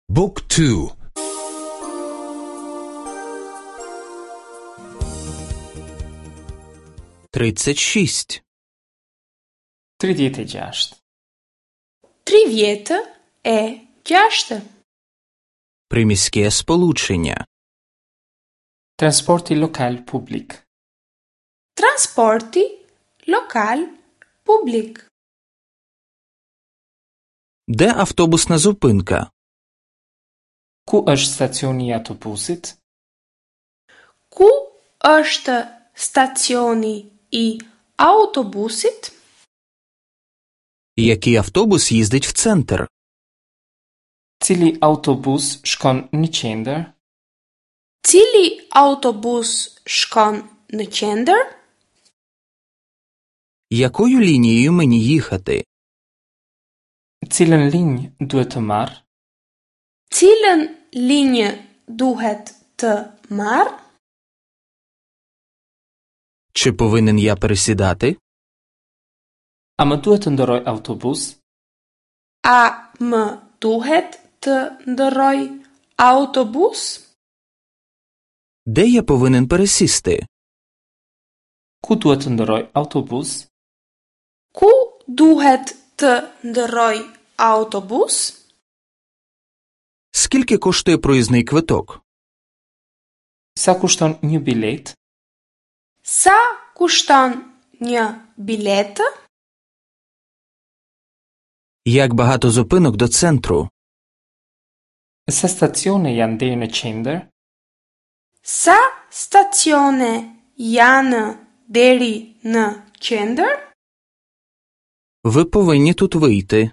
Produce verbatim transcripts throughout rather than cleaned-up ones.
Book two. Тридцять шість. Tridhjetë e gjashtë. Tridhjetë e gjashtë. Приміське сполучення. Transporti lokal publik. Transporti lokal publik. Де автобусна зупинка? Ku është stacioni i autobusit? Ku është stacioni i autobusit? Який автобус їздить в центр? Cili autobus shkon në qendër? Cili autobus shkon në qendër? Якою лінією мені їхати? Cilën linjë duhet të marr? Cilën linjë duhet të marr? Чи повинен я пересідати? A më duhet të ndërroj autobus? A më duhet të ndërroj autobus? Де я повинен пересісти? Ku duhet të ndërroj autobus? Ku duhet të ndërroj autobus? Скільки коштує проїзний квиток? Sa kushton një biletë? Sa kushton një biletë? Як багато зупинок до центру? Sa stacione janë deri në qendër? Sa stacione janë deri në qendër? Ви повинні тут вийти.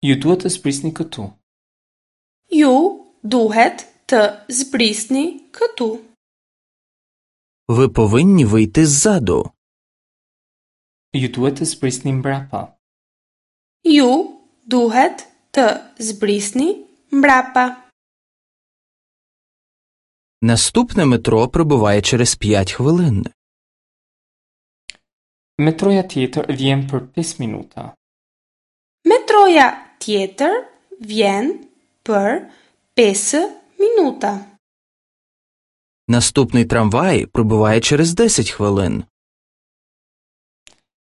Ju duhet të zbrisni këtu. Ju duhet të zbrisni këtu. Ви повинні вийти ззаду. Ju duhet të zbrisni mbrapa. Ju duhet të zbrisni mbrapa. Наступне метро прибуває через п'ять хвилин. Metroja tjetër vjen për pesë minuta. Metroja tjetër vjen për pesë minuta. Наступний трамвай прибуває через десять хвилин.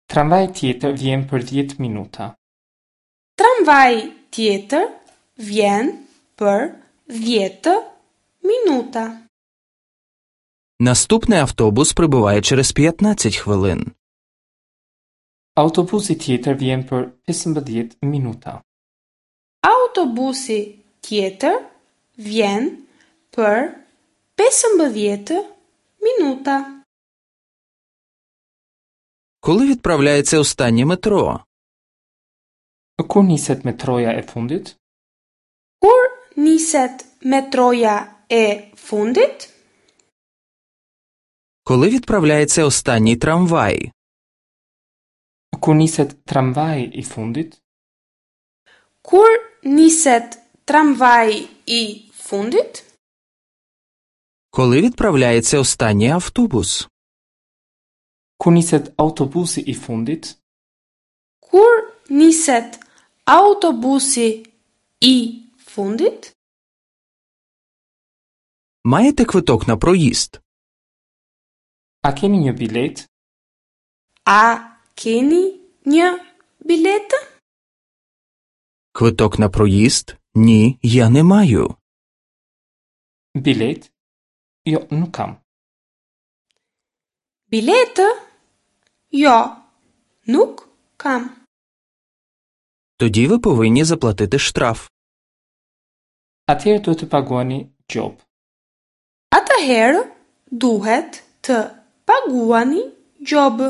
Tramvaji tjetër vjen për dhjetë minuta. Tramvaji tjetër vjen për dhjetë minuta. Наступний автобус прибуває через п'ятнадцять хвилин. Autobusi tjetër vjen për pesëmbëdhjetë minuta. Autobusi tjetër vjen për pesëmbëdhjetë minuta. Коли відправляється останнє метро? Kur niset metroja e fundit? Kur niset metroja e fundit? Коли відправляється останній трамвай? Kur niset tramvaji i fundit? Kur niset tramvaji i fundit? Коли відправляється останній автобус? Kur niset autobusi i fundit? Kur niset autobusi i fundit? Маєте квиток на проїзд? A keni një biletë? A keni një biletë? Квиток на проїзд? Ні, я не маю. Biletë? Jo, nuk kam. Biletë? Jo, nuk kam. Тоді ви повинні заплатити штраф. Atëherë duhet të paguani gjobë. Atëherë duhet të paguani gjobë.